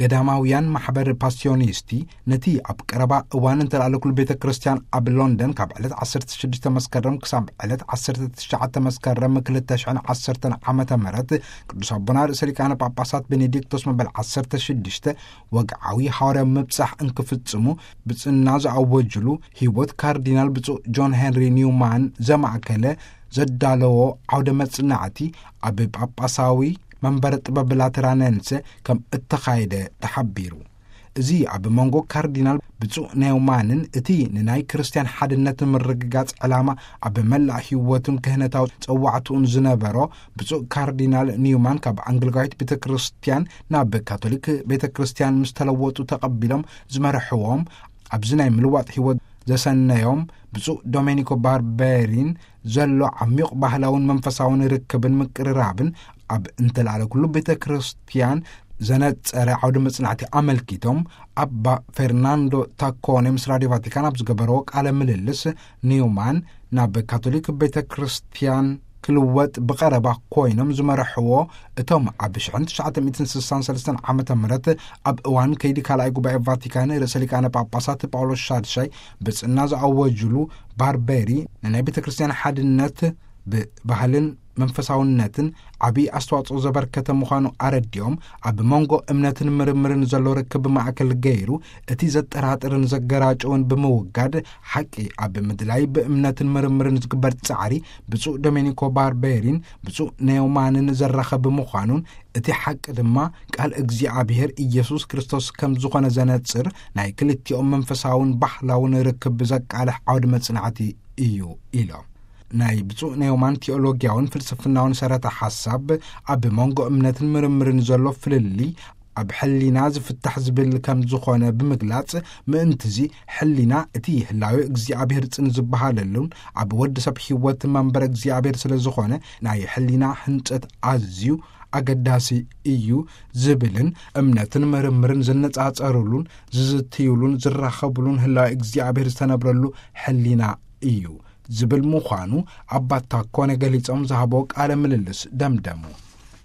ገዳማውያን ማሕበር ፓስዮኒስቲ ነቲ ኣብ ቀረባ እዋን እንተላለኩሉ ቤተ ክርስቲያን ኣብ ሎንደን ካብ ዕለት ዓሰርተ ሽዱሽተ መስከረም ክሳብ ዕለት ዓሰርተ ትሽዓተ መስከረም ክልተ ሽሕን ዓሰርተን ዓመተ ምህረት ቅዱስ ኣቦና ርእሰ ሊቃነ ጳጳሳት ቤኔዲክቶስ መበል ዓሰርተ ሽዱሽተ ወግዓዊ ሃዋርያዊ ምብጻሕ እንክፍጽሙ ብጽና ዝኣወጅሉ ህይወት ካርዲናል ብፁዕ ጆን ሄንሪ ኒውማን ዘማእከለ ዘዳለዎ ዓውደ መጽናዕቲ ኣብ ጳጳሳዊ መንበረ ጥበብ ላተራነንሰ ከም እተኻየደ ተሓቢሩ። እዚ ኣብ መንጎ ካርዲናል ብፁዕ ኔውማንን እቲ ንናይ ክርስትያን ሓድነት ምርግጋጽ ዕላማ ኣብ መላእ ህይወቱን ክህነታዊ ጸዋዕትኡን ዝነበሮ ብፁዕ ካርዲናል ኒውማን ካብ ኣንግሊካዊት ቤተ ክርስትያን ናብ ካቶሊክ ቤተ ክርስትያን ምስ ተለወጡ ተቐቢሎም ዝመርሕዎም ኣብዚ ናይ ምልዋጥ ህይወት ዘሰነዮም ብፁዕ ዶሜኒኮ ባርቤሪን ዘሎ ዓሚቕ ባህላውን መንፈሳውን ርክብን ምቅርራብን ኣብ እንተላዕለ ኩሉ ቤተ ክርስትያን ዘነጸረ ዓውደ መጽናዕቲ ኣመልኪቶም ኣባ ፌርናንዶ ታኮኔ ምስ ራድዮ ቫቲካን ኣብ ዝገበረዎ ቃለ ምልልስ ኒውማን ናብ ካቶሊክ ቤተ ክርስትያን ክልወጥ ብቐረባ ኮይኖም ዝመርሕዎ እቶም ኣብ ሽሕን ትሽዓተ ሚእትን ስሳን ሰለስተን ዓመተ ምህረት ኣብ እዋን ከይዲ ካልኣይ ጉባኤ ቫቲካን ርእሰ ሊቃነ ጳጳሳት ጳውሎስ ሻድሻይ ብጽና ዝኣወጅሉ ባርቤሪ ንናይ ቤተ ክርስትያን ሓድነት ብባህልን መንፈሳውነትን ዓብዪ ኣስተዋጽኦ ዘበርከተ ምዃኑ ኣረዲኦም ኣብ መንጎ እምነትን ምርምርን ዘሎ ርክብ ማእከል ገይሩ እቲ ዘጠራጥርን ዘገራጨውን ብምውጋድ ሓቂ ኣብ ምድላይ ብእምነትን ምርምርን ዝግበር ጻዕሪ ብፁዕ ዶሜኒኮ ባርቤሪን ብፁዕ ኔውማንን ዘራኸብ ምዃኑን እቲ ሓቂ ድማ ቃል እግዚኣብሔር ኢየሱስ ክርስቶስ ከም ዝኾነ ዘነጽር ናይ ክልቲኦም መንፈሳውን ባህላውን ርክብ ዘቃልሕ ዓውዲ መጽናዕቲ እዩ ኢሎም። ናይ ብፁዕ ኔውማን ቴኦሎጊያውን ፍልስፍናውን ሰረተ ሓሳብ ኣብ መንጎ እምነትን ምርምርን ዘሎ ፍልልይ ኣብ ሕሊና ዝፍታሕ ዝብል ከም ዝኾነ ብምግላጽ ምእንትዚ ሕሊና እቲ ህላዊ እግዚኣብሔር ጽን ዝበሃለሉን ኣብ ወዲ ሰብ ህይወት መንበር እግዚኣብሔር ስለ ዝኾነ ናይ ሕሊና ህንጸት ኣዝዩ ኣገዳሲ እዩ ዝብልን እምነትን ምርምርን ዝነጻጸሩሉን ዝዝትዩሉን ዝራኸቡሉን ህላዊ እግዚኣብሔር ዝተነብረሉ ሕሊና እዩ ዝብል ምዃኑ ኣባ ታኮነ ገሊጾም ዝሃቦ ቃለ ምልልስ ደምደሙ።